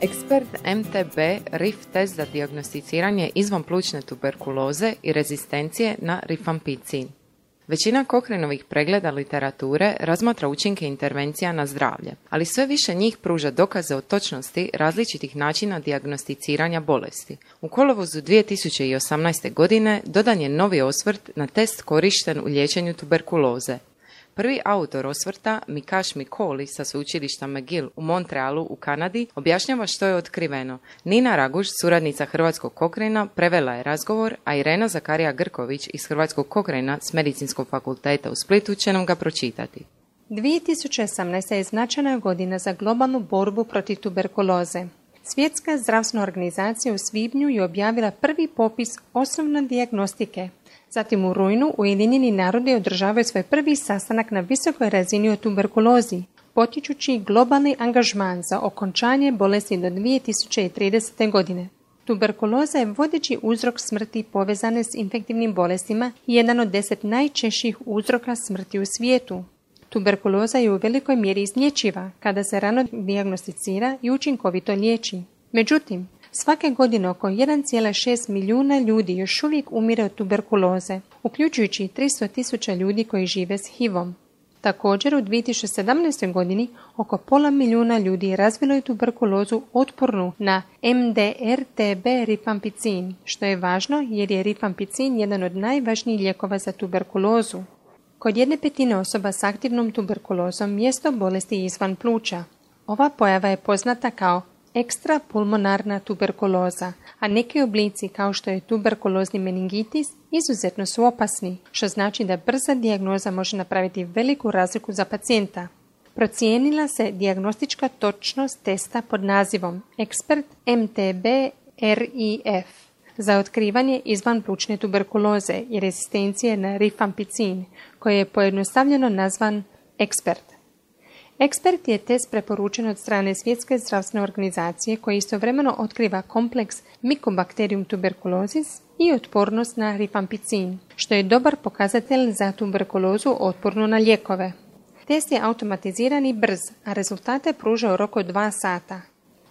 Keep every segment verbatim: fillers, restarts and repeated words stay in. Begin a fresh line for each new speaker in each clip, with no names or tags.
Ekspert M T B R I F test za dijagnosticiranje izvanplućne tuberkuloze i rezistencije na rifampicin. Većina Cochraneovih pregleda literature razmatra učinke intervencija na zdravlje, ali sve više njih pruža dokaze o točnosti različitih načina dijagnosticiranja bolesti. U kolovozu dvije tisuće osamnaeste. godine dodan je novi osvrt na test korišten u liječenju tuberkuloze. Prvi autor osvrta, Mikash Mikoli sa sveučilišta McGill u Montrealu u Kanadi, objašnjava što je otkriveno. Nina Raguš, suradnica Hrvatskog Cochrana, prevela je razgovor, a Irena Zakarija Grković iz Hrvatskog Cochrana s Medicinskog fakulteta u Splitu će nam ga pročitati.
dvije tisuće osamnaesta. je značajna godina za globalnu borbu protiv tuberkuloze. Svjetska zdravstvena organizacija u svibnju je objavila prvi popis osnovne dijagnostike. Zatim u rujnu Ujedinjeni narodi održavaju svoj prvi sastanak na visokoj razini o tuberkulozi, potičući globalni angažman za okončanje bolesti do dvije tisuće tridesete. godine. Tuberkuloza je vodeći uzrok smrti povezane s infektivnim bolestima i jedan od deset najčešćih uzroka smrti u svijetu. Tuberkuloza je u velikoj mjeri izlječiva kada se rano dijagnosticira i učinkovito liječi. Međutim, svake godine oko jedan zarez šest milijuna ljudi još uvijek umire od tuberkuloze, uključujući tristo tisuća ljudi koji žive s H I V-om. Također u dvije tisuće sedamnaestoj. godini oko pola milijuna ljudi razvilo je tuberkulozu otpornu na M D R T B rifampicin, što je važno jer je rifampicin jedan od najvažnijih lijekova za tuberkulozu. Kod jedne petine osoba s aktivnom tuberkulozom mjesto bolesti je izvan pluća. Ova pojava je poznata kao ekstrapulmonarna tuberkuloza, a neki oblici kao što je tuberkulozni meningitis izuzetno su opasni, što znači da brza dijagnoza može napraviti veliku razliku za pacijenta. Procijenila se dijagnostička točnost testa pod nazivom Ekspert M T B R I F za otkrivanje izvanplućne tuberkuloze i rezistencije na rifampicin, koji je pojednostavljeno nazvan Ekspert. Ekspert je test preporučen od strane Svjetske zdravstvene organizacije koji istovremeno otkriva kompleks Mycobacterium tuberculosis i otpornost na rifampicin, što je dobar pokazatelj za tuberkulozu otpornu na lijekove. Test je automatiziran i brz, a rezultate pruža u roku od dva sata.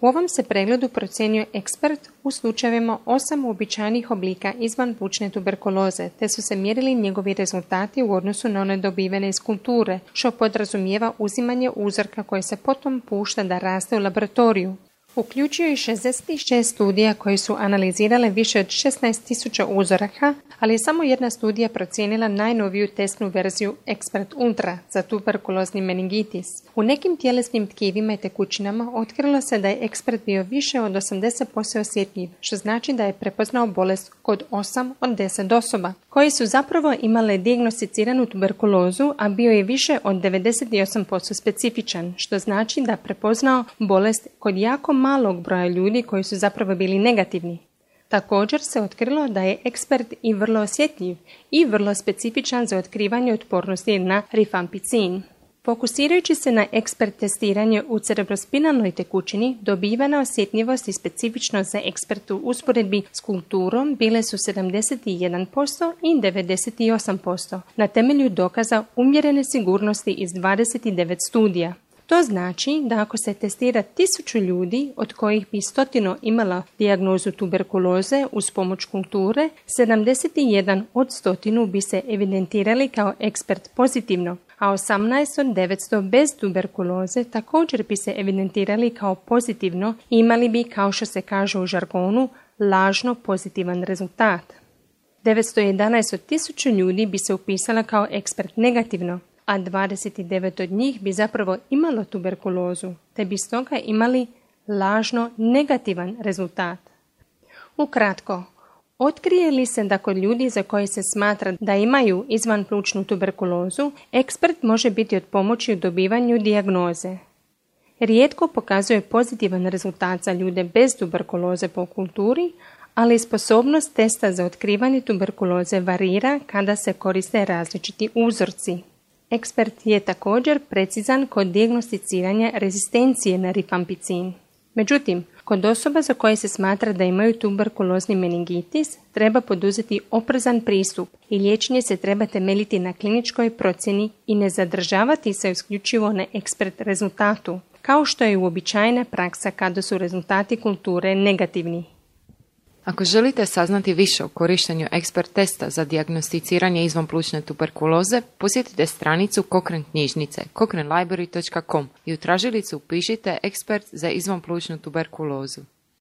U ovom se pregledu procjenjuje Ekspert u slučajevima osam uobičajenih oblika izvanplućne tuberkuloze, te su se mjerili njegovi rezultati u odnosu na one dobivene iz kulture, što podrazumijeva uzimanje uzorka koje se potom pušta da raste u laboratoriju. Uključuje i šezdeset šest studija koje su analizirale više od šesnaest tisuća uzoraka, ali je samo jedna studija procijenila najnoviju testnu verziju Ekspert Ultra za tuberkulozni meningitis. U nekim tjelesnim tkivima i tekućinama otkrilo se da je Ekspert bio više od osamdeset posto osjetljiv, što znači da je prepoznao bolest kod osam od deset osoba, koje su zapravo imale dijagnosticiranu tuberkulozu, a bio je više od devedeset osam posto specifičan, što znači da prepoznao bolest kod jako malog broja ljudi koji su zapravo bili negativni. Također se otkrilo da je Ekspert i vrlo osjetljiv i vrlo specifičan za otkrivanje otpornosti na rifampicin. Fokusirajući se na Ekspert testiranje u cerebrospinalnoj tekućini, dobivana osjetljivost i specifičnost za Ekspert u usporedbi s kulturom bile su sedamdeset jedan posto i devedeset osam posto na temelju dokaza umjerene sigurnosti iz dvadeset devet studija. To znači da ako se testira tisuću ljudi, od kojih bi stotinu imala dijagnozu tuberkuloze uz pomoć kulture, sedamdeset jedan od stotinu bi se evidentirali kao Ekspert pozitivno, a osamnaest od devetsto bez tuberkuloze također bi se evidentirali kao pozitivno i imali bi, kao što se kaže u žargonu, lažno pozitivan rezultat. devetsto jedanaest od tisuću ljudi bi se upisala kao Ekspert negativno, a dvadeset devet od njih bi zapravo imalo tuberkulozu, te bi stoga imali lažno negativan rezultat. Ukratko, otkrije li se da kod ljudi za koje se smatra da imaju izvanplućnu tuberkulozu, Ekspert može biti od pomoći u dobivanju dijagnoze. Rijetko pokazuje pozitivan rezultat za ljude bez tuberkuloze po kulturi, ali sposobnost testa za otkrivanje tuberkuloze varira kada se koriste različiti uzorci. Ekspert je također precizan kod dijagnosticiranja rezistencije na rifampicin. Međutim, kod osoba za koje se smatra da imaju tuberkulozni meningitis, treba poduzeti oprezan pristup i liječenje se treba temeljiti na kliničkoj procjeni i ne zadržavati se isključivo na Ekspert rezultatu. kao što je uobičajena praksa kada su rezultati kulture negativni.
Ako želite saznati više o korištenju ekspert testa za dijagnosticiranje izvanplućne tuberkuloze, posjetite stranicu Cochrane knjižnice cochrane library dot com i u tražilicu upišite ekspert za izvanplućnu tuberkulozu.